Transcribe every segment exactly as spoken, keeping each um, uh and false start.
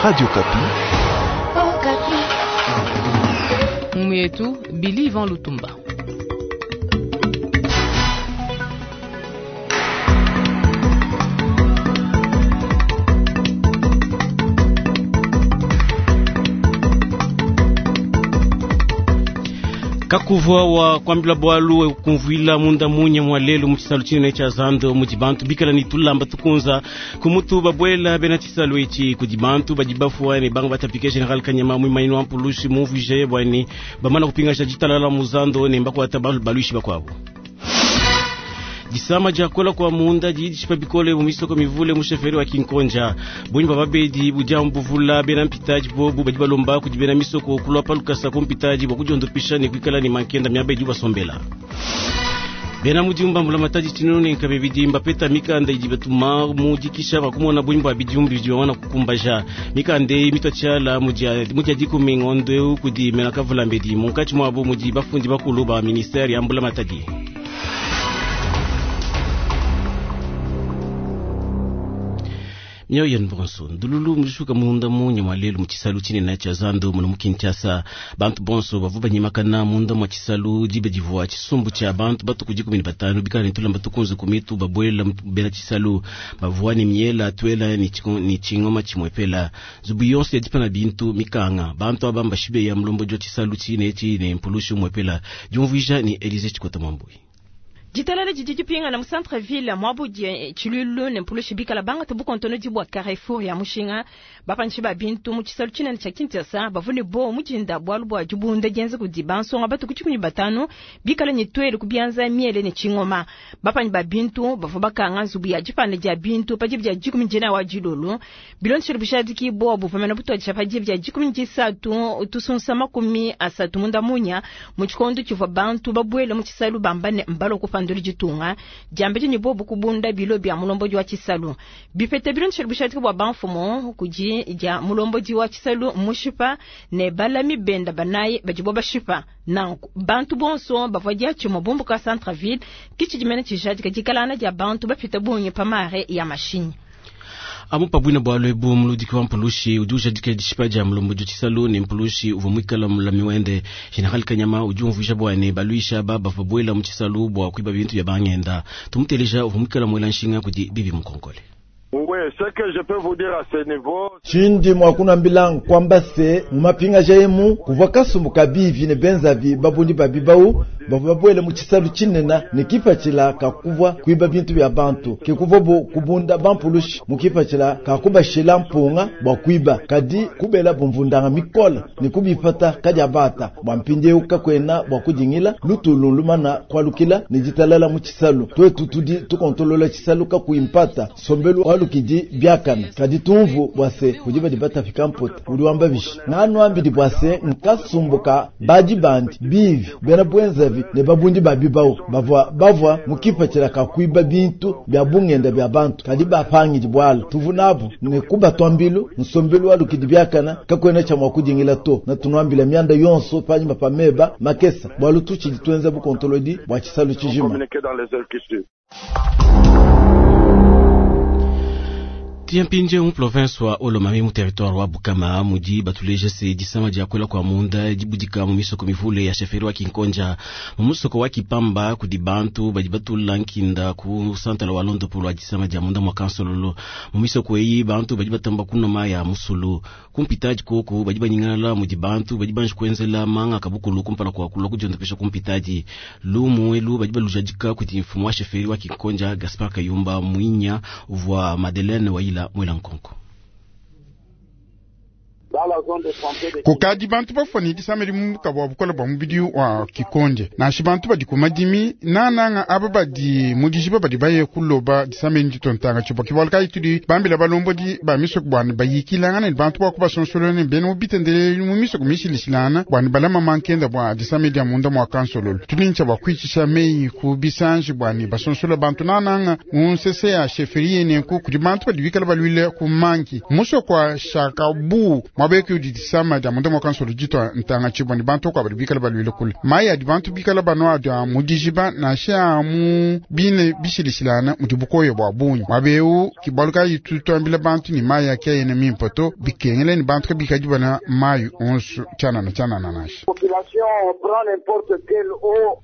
Radio Okapi. Mumu yetu Billy Ivan Lutumba. Kakuvwa wa kwambila bwalu kumvwila munda munye mwa lelo mu tshisalu tshinene tsha zando mudi bantu bikala ni tulamba tukunza kumutu babwela bena tshisalu etshi kudi bantu badi bafua ne banga batapike General Kanyama mwimaino wa mpulushi mumvwije bwani bamana kupingasha ditalala mu zando ne mbakwata baluishi bakwabo. Disama dia kola kwa munda didi bikole mu misoko mivule mu sheferi wa Kinkonja bunyi bababedi budia mbuvula bena mpitaji bobu badi balomba kudi bena misoko kulwa palukasa ku mpitaji bwa kudiondopisha ne kuikala ne mankenda miaba idi basombela. Bena mudiumba mbula matadi tshinunu nkabe bidimba peta mikanda idi batuma mudikisha bakumona bunyi bwa bidiumbi bidi bamana kukumbaja mikanda eyi mitwa tshiala mudia dikumi ngondo eu kudi mena kavula mbedi munkatshi muabu mudi bafundi bakulu ba ministère ya mbula matadi. Mioyo bonso ndululu mushuka munda munye mwa lelo mu tshisalu tshinene tsha zando muno mu Kinshasa bantu bonso bavu banyimakana munda mwa tshisalu dibe divua tshisumbu tsha bantu batuku dikumi ne batanu bikala ne tulamba tukunze ku mitu babwela bena tshisalu bavua ne miela twela ni tshingoma tshimwepela nzubu yonso ya dipana bintu mikanga bantu aba mbashibe ya mulombo dio tshisalu tshine etshi ne mpulushi mwepela diumvuija ni Elise Tshikota Mwambui. Ditalala didi dipingana mu centre ville mwabudi tshilulu ne mpulushi bikala banga tubukontono dibwa Carrefour ya mushinga bapanshi ba bintu mu tshisalu tshinene tsha Kinshasa bavune bo mujinda bwalu bwa dibunda dienze kudi bansonga batu kuchikumi batanu bikala ne twele kubianza miele ne tshingoma bapanyi ba bintu bavua bakanga nzubu ya dipanda dia bintu pa dibia dikumi dina wa dilolo bilonshelo bushadiki bo buvamena butwadisha pa dibia dikumi disatu tusunsa makumi asatu munda munya mu tshikondo tshivua bantu babwele mu tshisalu bamba ne mbalo kupanda ditunga diambe ni bobu kubunda bilo bya mulombo wa tshisalu bipete bilonshelo bushadiki bwa banfumo kudi dia mulombo wa tshisalu mushipa ne balami benda banaye badibo bashipa nanku bantu bonso bavua diatshimue bumbuka centre-ville kitshidimene tshijadika dikalana dia bantu bapita bungi pa mare ya mashinyi. Amu pabwina bwalo ebu muludiki wa mpulushi udi ujadika dishipa dia mulombo dio tshisalu ne mpulushi uvua muikala mulami wende General Kanyama udi umvuija bwane baluisha ba bavua bwela mu tshisalu bua kuiba bintu bya bangenda tumuteleja uvua muikala muela nshinga kudi bibi mukonkole. Chindi mwakunambila nkwamba se mumapinga jaimu kuvua kasumbu kabivi ne benzavi babundi babibau bavua babwele mu tshisalu tshinene ne kipatshila kakuvua kuiba bintu bya bantu ke kuvua bo kubunda bampulushi mu kipatshila kakubashila mpunga bua kuiba kadi kubela bumvundanga mikole ne kubipata kadi abata bua mpindieu kakwena bua kudingila lutulu lumana kwalukila ne ditalala mu tshisalu twetu tudi tukontolola tshisalu kakuimpata sombelu walukidi biakana kadi tumvu bwase kudi badi batafika mputa udi wamba bishi nganu ambidi bwase nkasumbuka badi bandi bivi bena bwenzavi ne babundi babibao bavua bavua mukipatshila kakuiba bintu bya bungenda bya bantu kadi bapangidi bwala tuvu nabu ne kubatwambilu nsombelu walukidi biakana kakwena tsha mwa kudingila to na tunuambila mianda yonso panyima pa meba makesa bwalu tutshidi tuenza bukontolodi bwa tshisalu tshijima. Tiampinje mu province wa Olomami mu territoire wa Bukama mudi batuleje se disama dia kwela kwa munda dibudika mu misoko mivule ya sheferi wa Kinkonja mu musoko wa Kipamba kudi bantu badi batula nkinda ku santala wa Londo polo disama dia munda mwa kansololo mu misoko eyi bantu badi batamba kunoma ya musulu kumpitaji koko badi banyingala mudi bantu badi banji kuenzela manga kabukulu kumpala kwa kulwa kudiondopesha kumpitaji lumu elu badi balujadika kudi mfumu wa sheferi wa Kinkonja Gaspar Kayumba Mwinya uvua Madeleine Waila mwela nkonko. Kukadi bantu bafwani disameli mumuka bwa bukola bwa mubidi wa kikonje nashi bantu badi kumadimi nananga aba badi mudijiba badi baye kuloba disameli nditontanga tshibo kibwala kayi tudi bambila balombodi ba misoko bwani bayikilangana ne bantu bakubasonsolona ne bena mubitendeleli mu misoko mishilishilana bwani balama mankenda bwa disameli dia munda mwa kansololo tulintsha bwa kwichisha meyi ku bisanji bwani basonsola bantu nananga mu nsese ya sheferi yenenku kudi bantu badi bikala balwile ku manki musoko wa shakabu mwabe Mwabeki udi disama dia munda mwa ditwa ntanga tshibwa ni bantu kwa badi bikala balwile kule. Mayi adi bantu bikala banwa adi mu dijiba nansha mu bine bishilishilana mudi bukoyo bwa bungi. Mwabeu kibaluka yitu twambila bantu ni mayi akeyene mimpe to bikengele ni bantu kabikadi bana mayi onso tshanana tshanana nansha. Population prend n'importe quelle eau.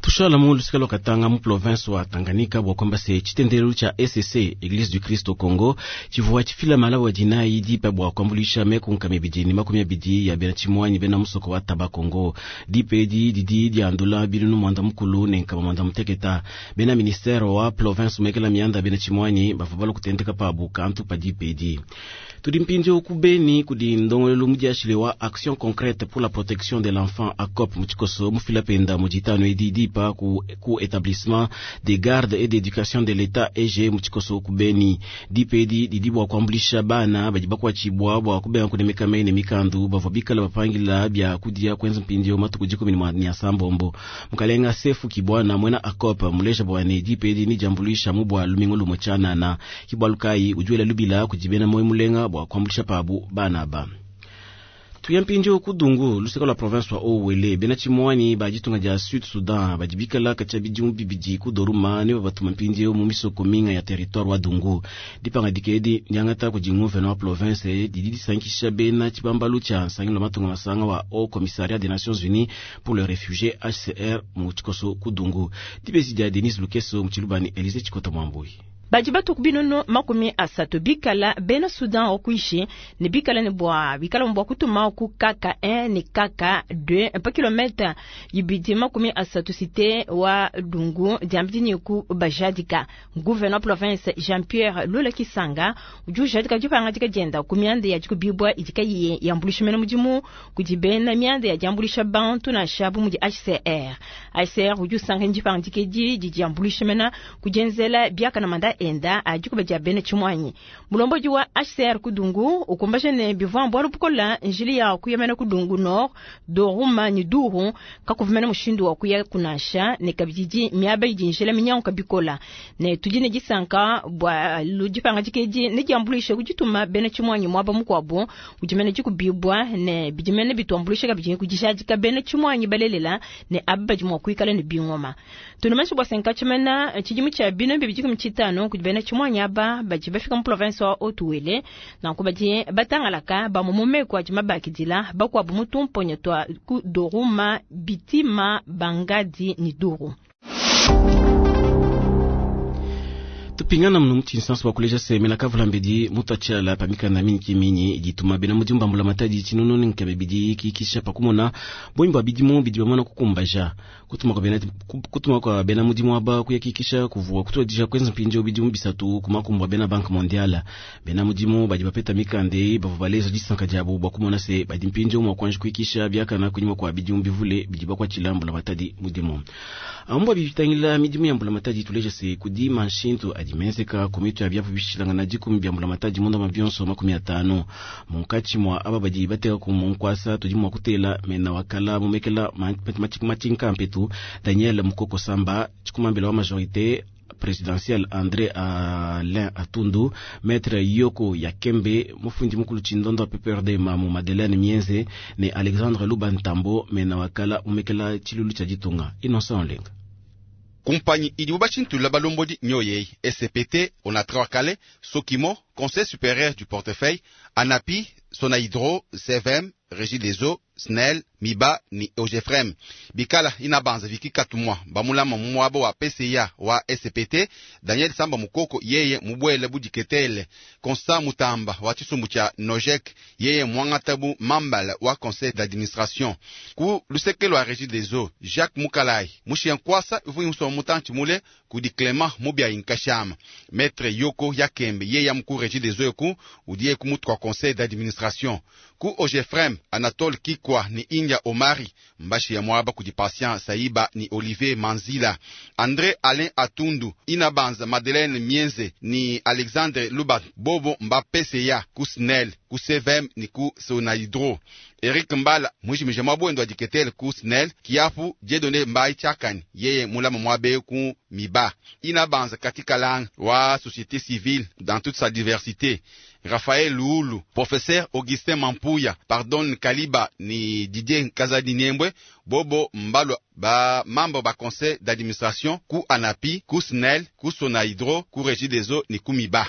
Tushala mu lusika lwa Katanga mu province wa Tanganyika bwa kwamba se chitendelo cha E C C Eglise du Christ au Congo chivua chifila mala wa jinai dipa bwa kwambulisha mekunka mibidi ni makumi abidi ya bena chimwanyi bena musoko wa taba Congo dipedi didi diandula bilunu mwanda mukulu ne nkama mwanda muteketa bena ministère wa province mekela mianda bena chimwanyi bavubalo kutendeka pabu kantu pa dipedi. Tudi mpindio kubeni kudi ndongolelo mudiashile wa action concrète pour la protection de l'enfant A C O P muchikoso mufila penda mujitano edi dipa ku, ku établissement des gardes et d'éducation de l'État E G muchikoso kubeni dipedi didibwa kuambulisha bana badi bakwachibwa bwa kubenga kunemeka mene mikandu bavwa bikala bapangila bya kudia kwenza mpindio matuku dikumi ni mwa sambombo mukalenga sefu kibwana mwena A C O P mulesha bwane dipedi ni jambulisha mubwa lumingo lumo chanana kibwalukai ujuela lubila kujibena moyo mulenga bwa kuambulisha pabu bana ba. Tuyampindio kudungu lusika la province wa Owele bena chimwani ba jitunga ja Sud Sudan bajibikala kacha bidimu bibidi kudoruma ne batuma mpindio mu misoko minga ya territoire wa Dungu dipanga dikedi nyangata kujingu wa province didi disankisha bena chibambalu cha nsangilo matunga masanga wa Haut Commissariat des Nations Unies pour les réfugiés H C R mu chikoso kudungu dibesi dia Denis Lukeso mchilubani Elise Chikota Mwambui. Baji batu binono makumi asatu bikala bena Sudan okuishi ne bikala ne bwa bikala mbwa kutuma ku kaka un ne kaka deux pa kilomètre yibidi makumi asatu cité wa Dungu diambidi ni ku bajadika gouverneur province Jean-Pierre Lula Kisanga uju jadika jipanga dika jenda ku mianda ya jikubibwa idika ye yambulisha mena mudimu kujibena mianda ya jambulisha bantu na shabu mudi H C R H C R uju sanga njipanga dikeji jijambulisha mena kujenzela biaka na manda enda ajikuba ja bene chimwanyi mulomboji wa H C R kudungu ukumbaje ne bivwa mbwa lupukola njili ya kuyamena kudungu nord doruma ni duru kakuvumena mushindu wa kuya kunasha ne kabijiji miaba ijinjela minyango kabikola ne tujine jisanka bwa lujipanga jikeji ne jambulishe kujituma bene chimwanyi mwaba mukwabo ujimene jikubibwa ne bijimene bitwambulishe kabijini kujishajika bene chimwanyi balelela ne abba jimwa kuikala ne bingoma tunumashi bwa senka chimena chijimu cha bino bibijiku mchitano kujibena chimwanyi aba baji bafika mu province wa Otuwele na kubaji batangalaka ba mumume kwa jimabakidila bakwa bumutumponye twa ku Doruma Bitima Bangadi ni Duru. Tupingana mno mchinsanso wa kuleja seme na kavula mbedi mutachala pamikanda mingi minyi jituma bena mujumba mbula matadi chinunu nkebe bidi kikisha pakumona boimba bidimu bidi bamana kukumbaja kutuma kwa bena kutuma kwa bena mudimu aba kuyakikisha kuvua kutwadisha kwenza mpinjo bidimu bisatu kumakumbwa bena Banque Mondiale bena mudimu badi bapeta mikande bavubaleza disanka jabo bakumona se badi mpinjo mwa kwanje kuikisha byakana kunyuma kwa bidimu bivule bidi bakwa chilambula matadi mudimu ambwa bibitangila midimu ya mbula matadi tuleja se kudima nshintu adimenzeka kumitu ya byapu bishilanga na dikumi bya mbula matadi munda mabionso makumi atano munkachi mwa aba badi bateka ku munkwasa tudi mwa kutela mena wakala mumekela matinka mpetu Daniel Mukoko Samba chikumambela wa majorité présidentielle André Alain Atundu Maître Yoko Yakembe mufundi mukulu chindondo wa P P R D Mamu Madeleine Mienze ne Alexandre Lubantambo mena wakala mumekela chilulu cha jitunga Innocent Olenga. Kumpanyi idibu bashintula balombodi nyoyei S C P T Onatra-Kale Sokimo Conseil supérieur du portefeuille Anapi Sonahydro C V M Régie des eaux S N E L Miba ni Ogefrem Bikala inabanza viki katumwa bamulama mumwabo wa P C A wa S C P T Daniel Samba Mukoko yeye mubwele budiketele Constant Mutamba wa chisumbu cha Nojek yeye mwangatabu mambala wa conseil d'administration ku lusekelo wa Régie des eaux Jacques Mukalai mushienkwasa ifu musomo mutanchi mule kudi Clément Mubia Inkashama Maître Yoko Yakembe yeye mkuu Régie des eaux ku udiye kumutu kwa conseil d'administration ku Ogefrem Anatole Kikwa ni India Omari mbashi ya mwaba kudi Patient Saiba ni Olivier Manzila André Alain Atundu Inabanza Madeleine Mienze ni Alexandre Lubat Bobo Mbapese ku S N E L ku C V M ni ku Sonahydro Eric Mbala mwijimije mwabwendo adiketele ku S N E L kiapu Dieudonné Mbai Chakani yeye mulama mwabe ku Miba Inabanza katika lang wa société civile dans toute sa diversité Raphaël Luulu, Professeur Augustin Mampuya, Pardon Kaliba ni Didier Kazadi Niembwe, Bobo Mbalo ba membre ba conseil d'administration ku ANAPI, ku SNEL, ku Sonaïdro, ku Régie des eaux ni ku MIBA.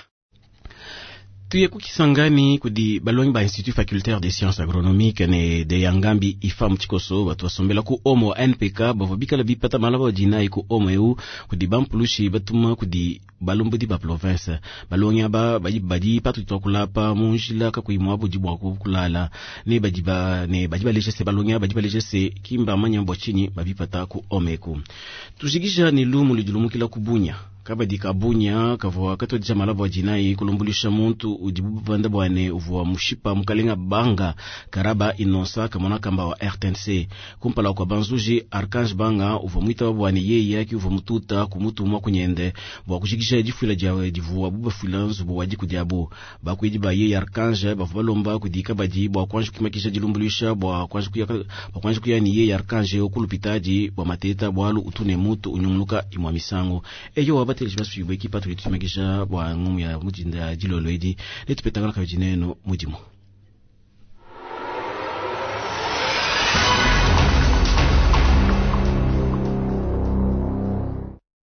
Tuye kukisangani kudi balongi ba institut facultaire des sciences agronomiques ne de yangambi ifa mutshikoso batu basombela ku omo wa N P K bavua bikala bipata malaba dinayi ku omo eu kudi bampulushi batuma kudi balombodi ba province. Balongi aba badi badi patu twakulapa mu njila kakuyi muabudi bua kulala ne badi ba ne badi baleja se balongi aba badi baleja se kimba manya bua tshinyi babipata ku omo eku. Tujikija ne lumu ludi lumukila ku Bunia. Kabadi ka Bunia kavua katodija malaba wa dinayi kulumbulisha muntu udi bubanda bwane uvua mushipa mukalenga Banga Karaba Inosa kamona kamba wa R T N C. Kumpala kwa banzuji, Archange Banga uvua mwitaba bwane yeye yaki uvua mututa kumutumwa kunyende bua kujikisha difuila dia divua bubafuila nzubu wa diku diabo. Bakuidi ba yeye Archange bavua balomba kudi kabadi bua kuanji kuimakisha dilumbulisha bua kuanji kuya bua kuanji kuya ni yeye Archange okulupitadi bua mateta bwalu utune mutu unyunguluka imwa misango. Eyo wabateleji baswibwe ekipa tuli tuimakisha bua ngumu ya mudinda ya dilolo edi netupetangana kabidi neno mudimu.